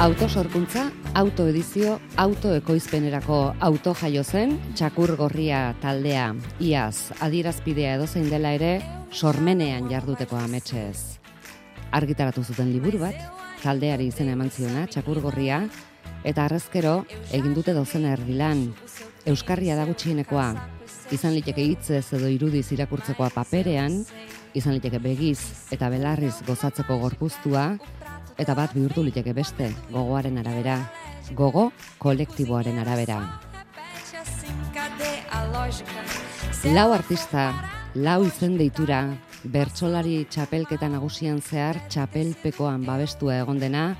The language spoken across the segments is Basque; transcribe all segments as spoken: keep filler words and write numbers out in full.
Autosorkuntza, autoedizio, autoekoizpenerako auto jaio zen, Txakur Gorria taldea, iaz, adierazpidea edozein dela ere, sormenean jarduteko ametsez. Argitaratu zuten liburu bat, taldeari izena eman ziona, Txakur Gorria, eta arrezkero egin dute dozena erdilan. Euskarria da gutxienekoa, izan liteke hitzez edo irudiz irakurtzekoa paperean, izan liteke begiz eta belarriz gozatzeko gorpuztua, eta bat bihurtu liteke beste, gogoaren arabera, gogo kolektiboaren arabera. Lau artista, lau izen deitura, bertsolari txapelketa nagusian zehar txapelpekoan babestua egon dena,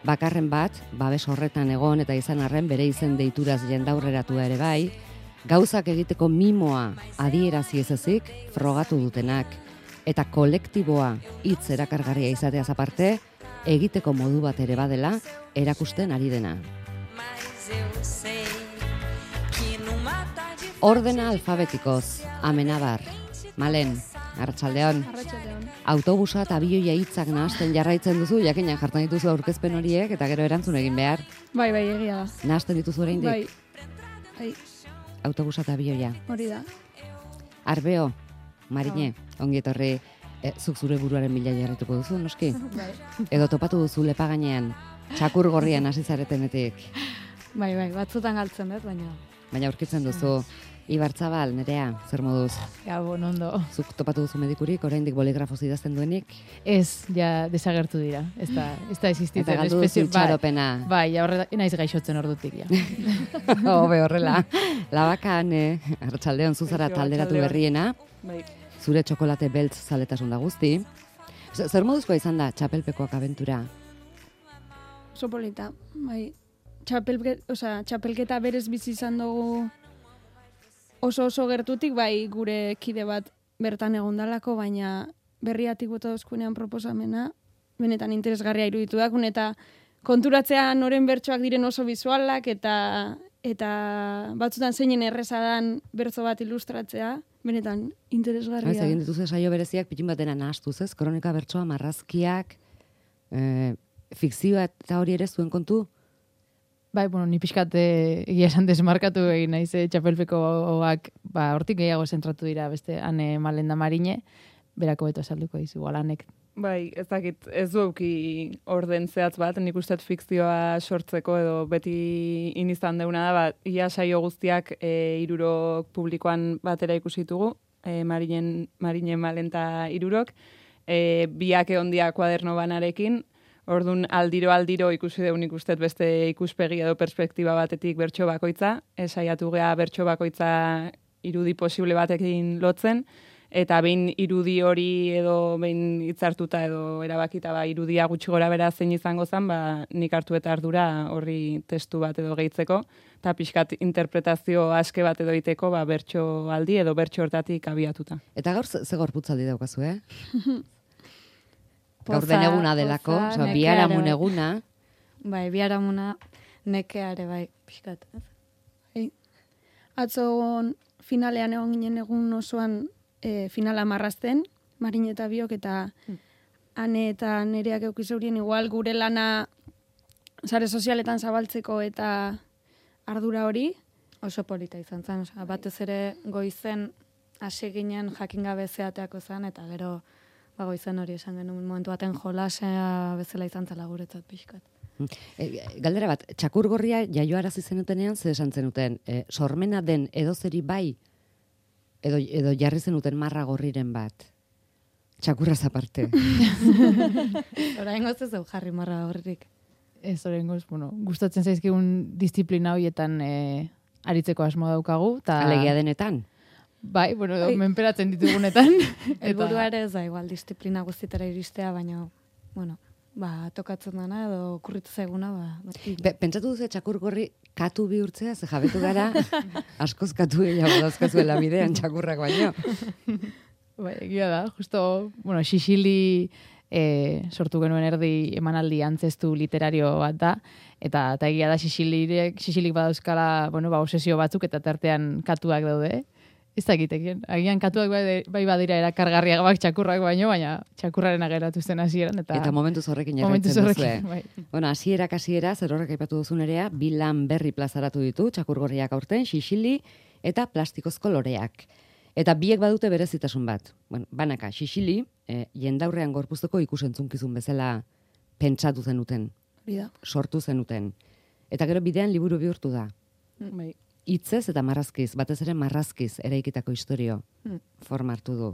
bakarren bat, babes horretan egon eta izan arren bere izen deituraz jendaurreratua ere bai, gauzak egiteko mimoa adierazi ez ezik frogatu dutenak, eta kolektiboa hitz erakargarria izateaz aparte, egiteko modu bat ere badela erakusten ari dena. Ordena alfabetikoz, Amenabar, Malen, Arratsaldeon. Arratsaldeon. Autobusa eta abioia hitzak nahasten jarraitzen duzu, jakina jartzen dituzu aurkezpen horiek eta gero erantzun egin behar. Bai, bai, egia da. Nahasten dituzu oraindik? Bai. Bai, Autobusa eta abioia. hori da. Arbeo, Marine, ongi etorri. E, zuk zure buruaren bila jarrituko duzu, noski? Bai. Edo topatu duzu lepa gainean, Txakur Gorrian hasi zaretenetik. Bai, bai, batzutan galtzen dut, baina. Baina aurkitzen duzu, Ibarzabal, Nerea, zer moduz? Gabon, ondo. Zuk topatu duzu medikurik, oraindik boligrafoz idazten duenik? Ez, ja desagertu dira. Ez da, ez da existitzen. Eta galdu duzu itxaropena. Bai, ja, horre, naiz gaixotzen ordutik, ja. Hobe horrela. Labakan, eh, Arratsaldeon zuzara talderatu berriena. Bai. Zure txokolate beltz zaletasun da guzti. Zer moduzkoa izan da txapelpekoak abentura? Oso polita. Bai. Txapelke, osea, txapelketa berez bizi izan dugu oso oso gertutik, bai gure kide bat bertan egondalako, baina berriatik bota dozkunean proposamena, benetan interesgarria iruditu dakun, eta konturatzea noren bertsoak diren oso visualak, eta eta batzutan zeinen erreza dan bertso bat ilustratzea, benetan interesgarria. Ez, egin dituzu saio bereziak pitin batena nahastuz, ez? Kronika bertsoa, marrazkiak, e, fikzioa eta hori ere zuen kontu? Bai, bueno, ni pixkat egia esan desmarkatu egin naiz, eh, txapelpekoak, ba, hortik gehiago zentratu dira beste ane Malenda Marine, berako beto esalduko dizu, alanek. Bai, ez dakit, ez du euki orden zehatz bat, nik uste fikzioa sortzeko edo beti inizan deuna da, bat, ia saio guztiak e, irurok publikoan batera ikusitugu, e, Marinen, Marine Malenta irurok, e, biak egondia kuaderno banarekin, orduan aldiro aldiro ikusi deun ikustet beste ikuspegi edo perspektiba batetik bertso bakoitza, esaiatu gea bertso bakoitza irudi posible batekin lotzen, eta behin irudi hori edo behin hitzartuta edo erabakita ba, irudia gutxi gora bera zein izango zen, ba, nik hartu eta ardura horri testu bat edo gehitzeko, eta pixkat interpretazio aske bat edo iteko ba, bertso aldi edo bertso hortatik abiatuta. Eta gaur ze gorputzaldi daukazu, eh? Gaur den eguna delako, poza, oza, biharamun eguna. Bai, biharamuna nekeare, bai, pixkat. Bai. Atzo finalean egon ginen egun osoan e, finala marrazten, Marine eta biok, eta ane eta nereak eukizaurien igual gure lana sare sozialetan zabaltzeko eta ardura hori. Oso polita izan zen, oza, batez ere goizen hasi ginen jakin gabe zeateako zen, eta gero ba, goizen hori esan genuen momentu baten jolasea bezala izan zela guretzat pixkat. E, galdera bat, Txakur Gorria jaioarazi zenutenean, ze esan zenuten, e, sormena den edozeri bai, edo, edo jarri zenuten marra gorriren bat? Txakurraz aparte. Oraingoz ez deu jarri marra horrik. Ez oraingoz, bueno, gustatzen zaizkigun disiplina horietan e, aritzeko asmo daukagu. Ta... Alegia denetan? Bai, bueno, edo, menperatzen ditugunetan. Helburua ere ez da igual disiplina guztitara iristea, baina, bueno, ba, tokatzen dana edo okurritu zaiguna, ba. Be, pentsatu duzu Txakur Gorri katu bihurtzea, ze jabetu gara, askoz katu gehiago dauzkazuela bidean Txakurrak baino. Bai, egia da, justo, bueno, Xixili e, sortu genuen erdi emanaldi antzestu literario bat da, eta, eta egia da Xixiliek, Xixilik badauzkala, bueno, ba, obsesio batzuk eta tartean katuak daude. ez dakitekien. Agian katuak bai, bai badira erakargarriak bak txakurrak baino, baina txakurraren ageratu zen hasieran eta Eta momentuz horrekin jarraitzen duzue. Bai. Bueno, hasierak hasiera, zer horrek aipatu duzun erea, bi lan berri plazaratu ditu, txakurgorriak aurten, xixili eta plastikozko loreak. Eta biek badute berezitasun bat. Bueno, banaka, xixili, eh, jendaurrean gorpuzteko ikusentzunkizun bezala pentsatu zenuten, Hori da. sortu zenuten. Eta gero bidean liburu bihurtu da. Bai. Hitzez eta marrazkiz, batez ere marrazkiz eraikitako historio Mm. forma hartu du.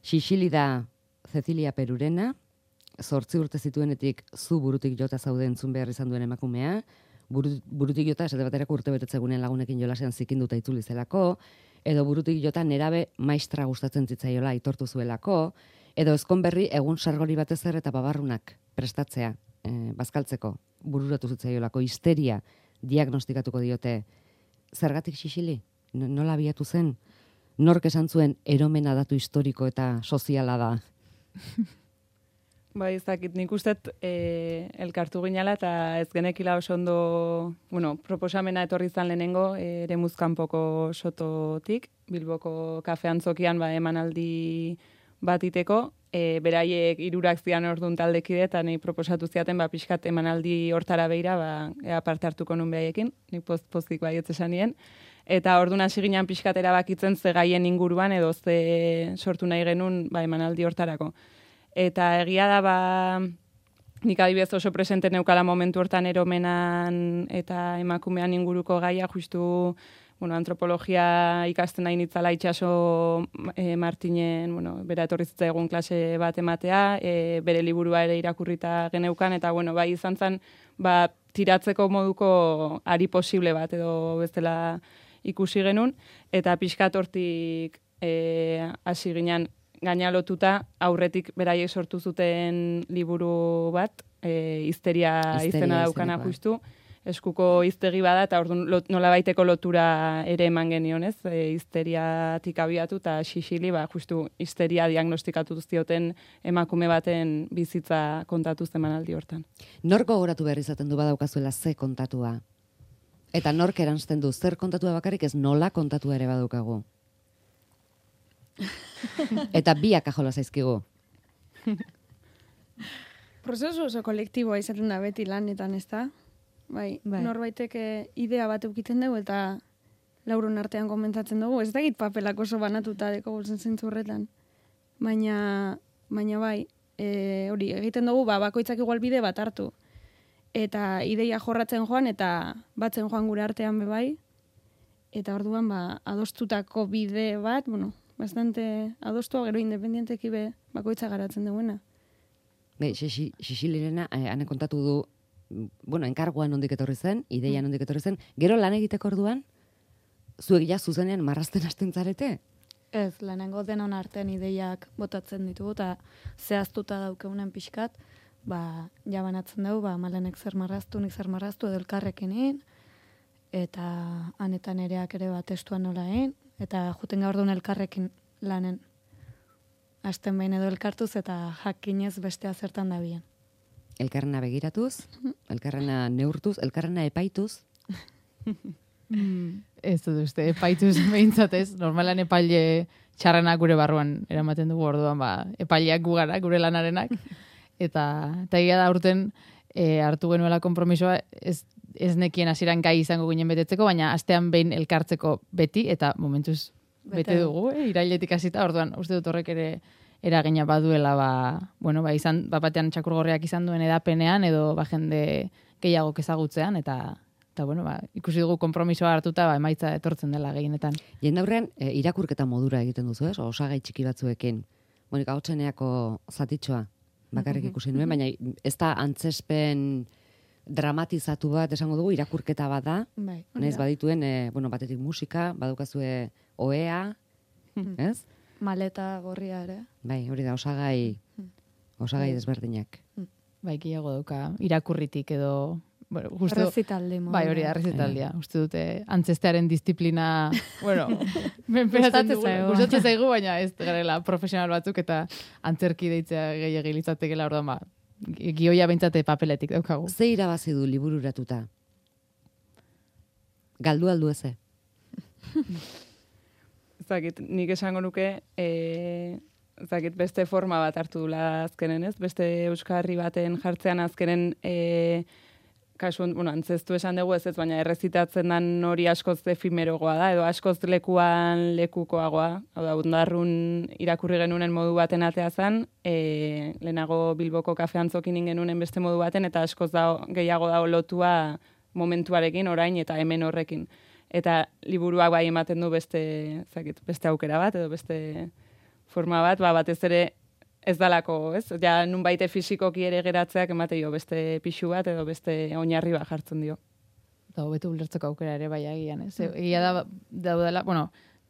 Xixili da Cecilia Perurena, zortzi urte zituenetik zu burutik jota zaude entzun behar izan duen emakumea, buru, burutik jota esate baterako urte betetzegunen lagunekin jolasean zikinduta itzuli zelako, edo burutik jota nerabe maistra gustatzen zitzaiola aitortu zuelako, edo ezkonberri egun sargori batez ere eta babarrunak prestatzea, eh, bazkaltzeko, bururatu zitzaiolako histeria diagnostikatuko diote. Zergatik xixili? No- Nola abiatu zen? Nork esan zuen eromena datu historiko eta soziala da? Bai, ez dakit, nik ustet e, elkartu ginala eta ez genekila oso ondo, bueno, proposamena etorri izan lehenengo, e, ere muzkanpoko sototik, Bilboko kafean zokian ba, emanaldi bat iteko, e, beraiek hirurak zian ordun taldekide eta nahi proposatu ziaten ba, pixkat emanaldi hortara beira, ba, ea parte hartuko nun behaiekin, nik poz, pozik baietz esan nien. Eta orduan hasi ginen pixkat erabakitzen ze gaien inguruan edo ze sortu nahi genuen ba, emanaldi hortarako. Eta egia da, ba, nik adibidez oso presente neukala momentu hortan eromenan eta emakumean inguruko gaia, justu bueno, antropologia ikasten nahi nitzala itxaso e, Martinen, bueno, bera etorri zitzaigun klase bat ematea, e, bere liburua ere irakurrita geneukan, eta bueno, bai izan zen, ba, tiratzeko moduko ari posible bat edo bestela ikusi genuen, eta pixkat hortik e, hasi ginen gaina lotuta aurretik beraiek sortu zuten liburu bat, e, histeria, Histeria izena daukana izenekoa. justu, eskuko hiztegi bada, eta orduan lot, nolabaiteko lotura ere eman genion, ez? E, histeriatik abiatu, eta xixili, ba, justu histeria diagnostikatu zioten emakume baten bizitza kontatu zemanaldi hortan. Nork gogoratu behar izaten du badaukazuela ze kontatua? Eta nork eransten du, zer kontatua bakarrik ez nola kontatua ere badaukagu? Eta biak ajola zaizkigu. Prozesu oso kolektiboa izaten da beti lanetan, ez da? Bai, Bai. norbaitek eh, idea bat eukiten dugu eta laurun artean komentatzen dugu. Ez dakit papelak oso banatuta deko guzen zentzu horretan. Baina, baina bai, e, hori egiten dugu, ba, bakoitzak igual bide bat hartu. Eta ideia jorratzen joan eta batzen joan gure artean be bai. Eta orduan, ba, adostutako bide bat, bueno, bastante adostua gero independienteki be bakoitza garatzen duena. Be, xixilirena, eh, ane kontatu du, bueno, enkarguan nondik etorri zen, ideia nondik etorri zen, gero lan egiteko orduan, zuek ja zuzenean marrazten hasten zarete? Ez, lehenengo denon artean ideiak botatzen ditugu, eta zehaztuta daukeunen pixkat, ba, jabanatzen dugu, ba, malenek zer marraztu, nik zer marraztu, edo elkarrekin eta anetan ereak ere bat testuan nola egin, eta juten gaur duen elkarrekin lanen. Asten behin edo elkartuz eta jakinez bestea zertan da bien. Elkarrena begiratuz, elkarrena neurtuz, elkarrena epaituz. Ez dut uste, epaituz behintzatez, normalan epaile txarrenak gure barruan eramaten dugu orduan, ba, epaileak gugara, gure lanarenak. Eta, eta egia da urten e, hartu genuela konpromisoa, ez, ez nekien hasieran gai izango ginen betetzeko, baina astean behin elkartzeko beti, eta momentuz bete, Bete dugu, eh, irailetik hasita, orduan uste dut horrek ere eragina baduela, ba, bueno, ba, izan, bapatean txakurgorriak izan duen edapenean, edo ba, jende gehiago ezagutzean, eta eta bueno, ba, ikusi dugu konpromisoa hartuta, ba, emaitza etortzen dela gehienetan. Jendaurrean, e, irakurketa modura egiten duzu, ez? Osagai txiki batzuekin. Monika Hotzeneako zatitxoa bakarrik ikusi nuen, baina ez da antzespen dramatizatu bat esango dugu, irakurketa bat da. Bai, Naiz badituen, e, bueno, batetik musika, badukazue ohea, ez? maleta gorria ere. Bai, hori da, osagai, osagai Bai. desberdinak. Bai, gehiago dauka, irakurritik edo, bueno, justo, Errezitaldi moduan. bai, hori da, errezitaldia. Uste dute, antzestearen disiplina, bueno, menperatzen Gustatzen dugu, zaigu. gustatzen zaigu, baina ez garela profesional batzuk eta antzerki deitzea gehiagin litzatekela, orduan, ba, gioia behintzate papeletik daukagu. Ze irabazi du libururatuta? Galdu aldu eze? zakit, nik esango nuke, e, zakit, beste forma bat hartu dula azkenen, ez? Beste euskarri baten jartzean azkenen, e, kasu, bueno, antzestu esan dugu ez ez, baina errezitatzen dan hori askoz efimerogoa da, edo askoz lekuan lekukoagoa. Hau da, Undarrun irakurri genunen modu baten atea zen, e, lehenago Bilboko kafean zokin genunen beste modu baten, eta askoz da, gehiago da lotua momentuarekin, orain eta hemen horrekin. Eta liburuak bai ematen du beste, zakit, beste aukera bat, edo beste forma bat, ba, batez ere ez dalako, ez? Ja, nun baite fizikoki ere geratzeak emate jo beste pixu bat edo beste oinarri bat jartzen dio. Eta hobeto ulertzeko aukera ere bai agian, ez? Mm. Egia da, daudela, bueno,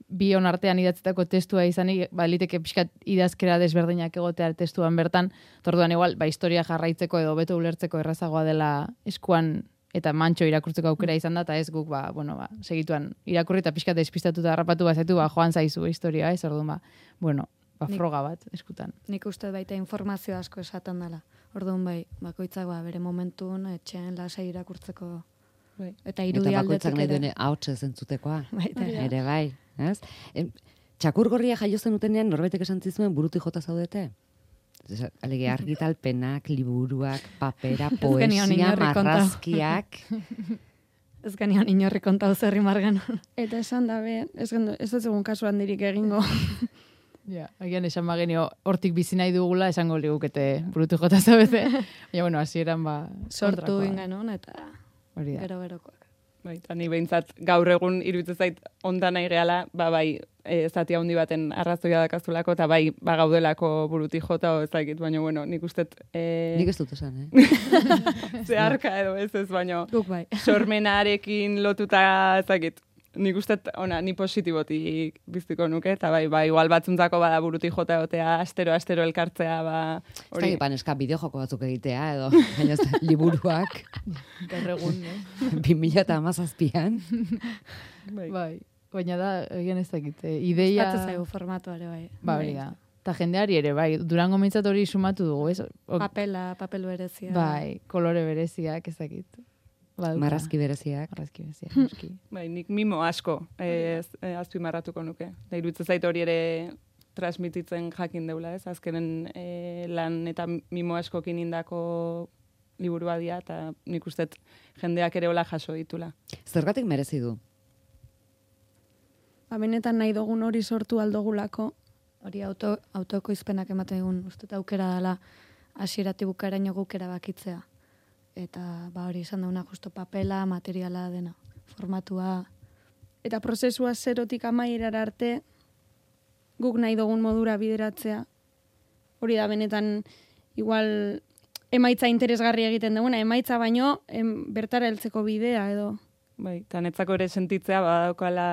bion artean idatzetako testua izanik, ba, liteke pixkat idazkera desberdinak egotea testuan bertan, torduan igual, ba, historia jarraitzeko edo hobeto ulertzeko errazagoa dela eskuan eta mantxo irakurtzeko aukera izan da, eta ez guk, ba, bueno, ba, segituan irakurri eta pixkat despistatuta harrapatu bazaitu, ba, joan zaizu historia, ez? Orduan, ba, bueno, ba, froga bat eskutan. Nik uste baita informazio asko esaten dela. Orduan bai, bakoitzak ba, bere momentun, etxean lasai irakurtzeko. Bai. Eta irudi eta aldetik bakoitzak nahi duene ahotsa zentzutekoa. Baita. Ere bai, ez? E, txakur gorria jaio zenutenean norbaitek esan zizuen burutik jota zaudete? Alege argitalpenak, liburuak, papera, poesia, marrazkiak. Ez genion inorri kontau zerri margan. Eta esan dabe, ez, gendo, ez dut egun kasu handirik egingo. Ja, agian esan bagenio hortik bizi nahi dugula esango ligukete burutu jota zabete. Ja, bueno, hasieran ba sortu ingenon eta hori da. Gero-gerokoak. Bai, eta ni behintzat gaur egun iruditzen zait ondan nahi gehala, ba bai, e, zati handi baten arrazoia dakazulako, eta bai, ba gaudelako buruti jota, o ezakit, baina, bueno, nik ustet... E... Nik ez dut esan, eh? Zeharka edo ez ez, baina... Guk bai. Sormenarekin lotuta, ezakit, nik ustet, ona, ni positibotik biztiko nuke, eta bai, bai, igual batzuntzako bada buruti jota egotea, astero-astero elkartzea, ba... Hori... Ez da, eska, bideojoko batzuk egitea, edo, baina ez liburuak. Gaur egun, eh? bi mila eta hamazazpian. Bai. Bai. Baina da, egin ez dakit, ideia... Espatzen zaigu formatuare, bai. Ba, hori da. Eta jendeari ere, bai, Durango mintzat hori sumatu dugu, ez? O... Papela, papel berezia. Bai, kolore bereziak, ez dakit. Ba, marrazki bereziak. Marrazki bereziak, bai, nik mimo asko, ez, eh, azpimarratuko nuke. Da, iruditzen zait hori ere transmititzen jakin deula, ez? Azkenen eh, lan eta mimo askokin indako liburua dia, eta nik ustet jendeak ere hola jaso ditula. Zergatik merezi du? Ba, benetan nahi dugun hori sortu aldogulako. Hori auto, autokoizpenak ematen egun, uste aukera dela hasieratik bukaeraino guk erabakitzea. Eta ba hori izan dauna justo papela, materiala dena, formatua. Eta prozesua zerotik amaierara arte guk nahi dugun modura bideratzea. Hori da benetan igual emaitza interesgarri egiten duguna, emaitza baino em, bertara heltzeko bidea edo. Bai, eta netzako ere sentitzea badaukala,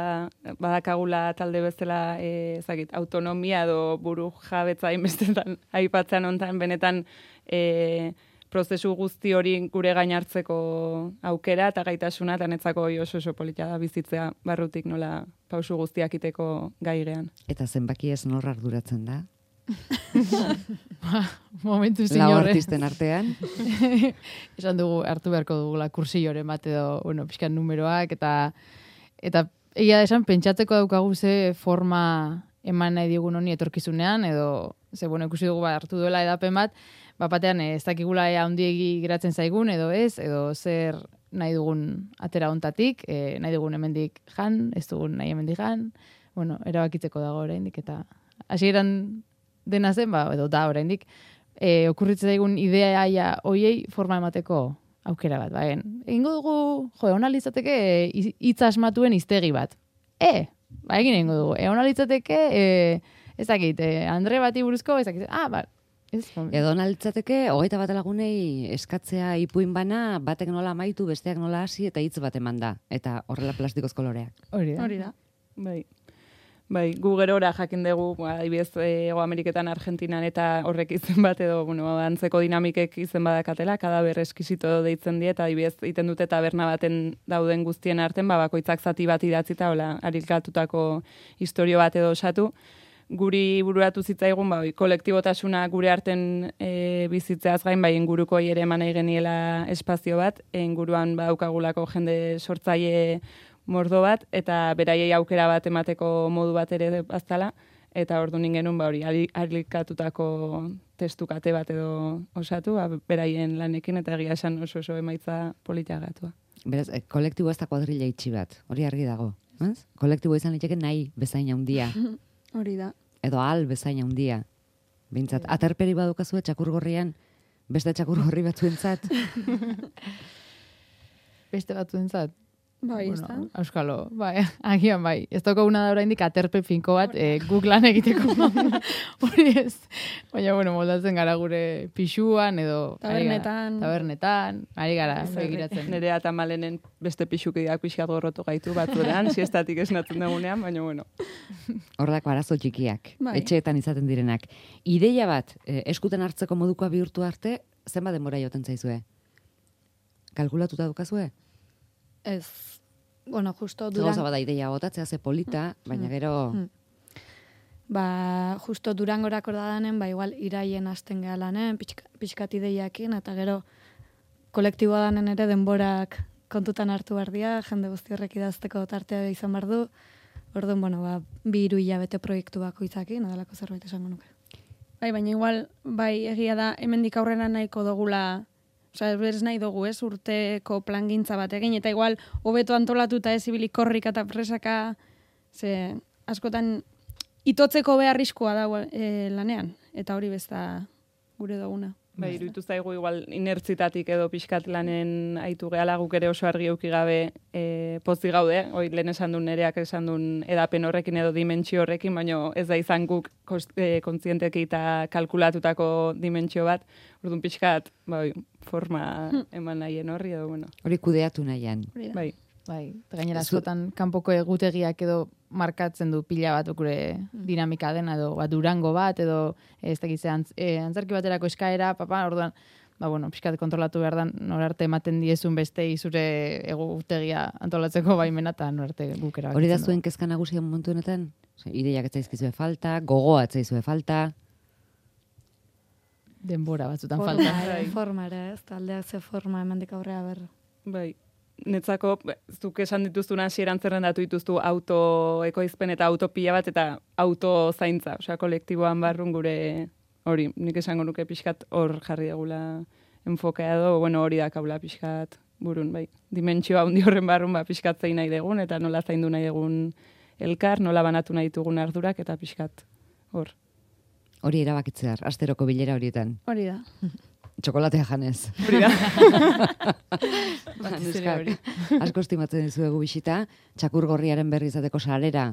badakagula talde bezala e, ezagit, autonomia edo buru jabetza inbestetan aipatzen hontan benetan e, prozesu guzti hori gure gain hartzeko aukera eta gaitasuna, eta netzako oso oso polita da bizitzea barrutik nola pausu guztiak iteko gaigean. Eta zenbaki ez nor arduratzen da? Momentu zinore. Lau artisten artean. Esan dugu, hartu beharko dugula kursioren bat edo, bueno, pixkan numeroak, eta eta egia esan pentsatzeko daukagu ze forma eman nahi digun honi etorkizunean, edo, ze, bueno, ikusi dugu ba, hartu duela edapen bat, bapatean ez dakigula ea handiegi geratzen zaigun, edo ez, edo zer nahi dugun atera hontatik, e, nahi dugun hemendik jan, ez dugun nahi hemendik jan, bueno, erabakitzeko dago oraindik, eta hasieran dena zen, ba, edo da oraindik, e, okurritzen zaigun idea ja hoiei forma emateko aukera bat, ba, egingo dugu, jo, ona litzateke hitz asmatuen hiztegi bat. E, ba, egin egingo dugu, e, ona litzateke, e, ez dakit, e, Andre bati buruzko, ez dakit, ah, ba, ez, edo nalitzateke, hogeita bat lagunei eskatzea ipuin bana, batek nola amaitu, besteak nola hasi, eta hitz bat eman da. Eta horrela plastikoz koloreak. Hori da. Hori da. Bai. Bai, gu gerora jakin dugu, adibidez, Hego Ameriketan, Argentinan eta horrek izen bat edo, bueno, antzeko dinamikek izen badakatela, kadaber eskizito deitzen die, eta adibidez, iten dute taberna baten dauden guztien arten, ba, bakoitzak zati bat idatzita, hola, arilkatutako historio bat edo osatu. Guri bururatu zitzaigun, ba, kolektibotasuna gure arten e, bizitzeaz gain, bai, inguruko ere eman nahi geniela espazio bat, inguruan baukagulako jende sortzaile mordo bat, eta beraiei aukera bat emateko modu bat ere baztala, eta ordu genuen ba hori alikatutako testukate bat edo osatu, ba, beraien lanekin, eta egia esan oso oso emaitza politiagatua. Beraz, e, kolektibo ez da kuadrilla itxi bat, hori argi dago. Ez? Kolektibo izan liteke nahi bezain handia. Hori da. Edo al bezain handia. Bintzat, aterperi badukazue txakurgorrian, beste txakurgorri batzuentzat. Beste batzuentzat. Bai, ez Bueno, da. Euskalo, bai, agian bai. Ez dauka una da oraindik aterpe finko bat eh, guk lan egiteko. Hori ez. Baina, bueno, moldatzen gara gure pixuan edo... ari gara- Tabernetan. Tabernetan, ari gara begiratzen. Nerea eta malenen beste pixukideak pixkat gorrotu gaitu batzueran, siestatik esnatzen dugunean, baina bueno. Hordako arazo txikiak, Bai. etxeetan izaten direnak. Ideia bat, eh, eskuten hartzeko modukoa bihurtu arte, zenbat denbora joten zaizue? Kalkulatuta dukazue? Ez, bueno, justo Ze Duran... gauza bada ideia botatzea ze polita, baina gero... Mm. Ba, justo Durangorako dadanen, ba, igual iraien hasten geha lanen, pixka, pixkat ideiakin, eta gero kolektiboa danen ere denborak kontutan hartu behar dira, jende guzti horrek idazteko tartea izan behar du, orduan, bueno, ba, bi hiru hilabete proiektu bakoitzakin, adalako zerbait esango nuke. Bai, baina igual, bai, egia da, hemendik aurrera nahiko dugula, osea, ez nahi dugu, ez, urteko plangintza bat egin, eta igual, hobeto antolatuta ez ibilik korrika eta presaka, ze, askotan, itotzeko beharrizkoa da e, lanean, eta hori besta gure duguna. Bai, iruditu zaigu igual inertzitatik edo pixkat lanen aitu gehala guk ere oso argi euki gabe e, pozi gaude, hoi lehen esan duen nereak esan duen edapen horrekin edo dimentsio horrekin, baina ez da izan guk kost, e, kontzienteki eta kalkulatutako dimentsio bat, orduan pixkat bai, forma eman nahien horri edo, bueno. Hori kudeatu nahian. Hori da. Bai, Bai, eta gainera Zu- askotan kanpoko egutegiak edo markatzen du pila bat gure dinamika dena edo bat Durango bat edo ez dakit ze antz, e, antzerki baterako eskaera, papa, orduan, ba bueno, pixkat kontrolatu behar da norarte ematen diezun bestei zure egutegia antolatzeko baimena eta norarte guk erabakitzen Hori da dugu. zuen kezka nagusia momentu honetan? Ose, ideiak ez zaizkizue falta, gogoa ez zaizue falta. Denbora batzutan Forma falta. ere, Bai. forma ere, ez, taldeak ze forma emendik aurrea ber. bai. Netzako, zuk esan dituztuna hasieran zerrendatu dituztu autoekoizpen eta autopila bat eta auto zaintza, osea, kolektiboan barrun gure hori, nik esango nuke pixkat hor jarri degula enfokea edo, bueno, hori da kaula pixkat burun, bai. Dimentsioa handi horren barrun, ba, pixkat zein nahi degun, eta nola zaindu nahi degun elkar, nola banatu nahi ditugun ardurak, eta pixkat hor. Hori erabakitzear, asteroko bilera horietan. Hori da. Txokolatea janez. Hori da. Batez ere hori. Asko estimatzen dizuegu bisita, txakurgorriaren berri izateko salera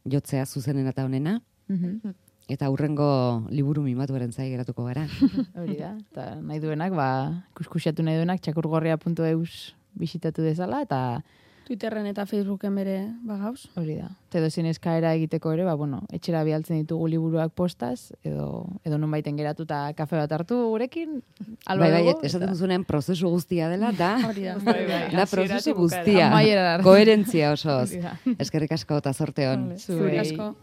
jotzea zuzenen eta honena, Mhm. eta hurrengo liburu mimatuaren zai geratuko gara. Hori da, eta nahi duenak, ba, kuskusiatu nahi duenak, txakurgorria puntu eus bisitatu dezala, eta Twitterren eta Facebooken bere bagauz. hori da. Eta edo zin eskaera egiteko ere, ba, bueno, etxera bialtzen ditugu liburuak postaz, edo, edo non baiten geratuta kafe bat hartu gurekin, alba Bai, bai, dugu, esaten eta duzunean prozesu guztia dela, da, Hori da. Bai, bai, da hasieratik prozesu bukaera. guztia. Amaierara arte. Koherentzia osoz. hori da. Eskerrik asko eta zorte on. Zuri Zuei. asko.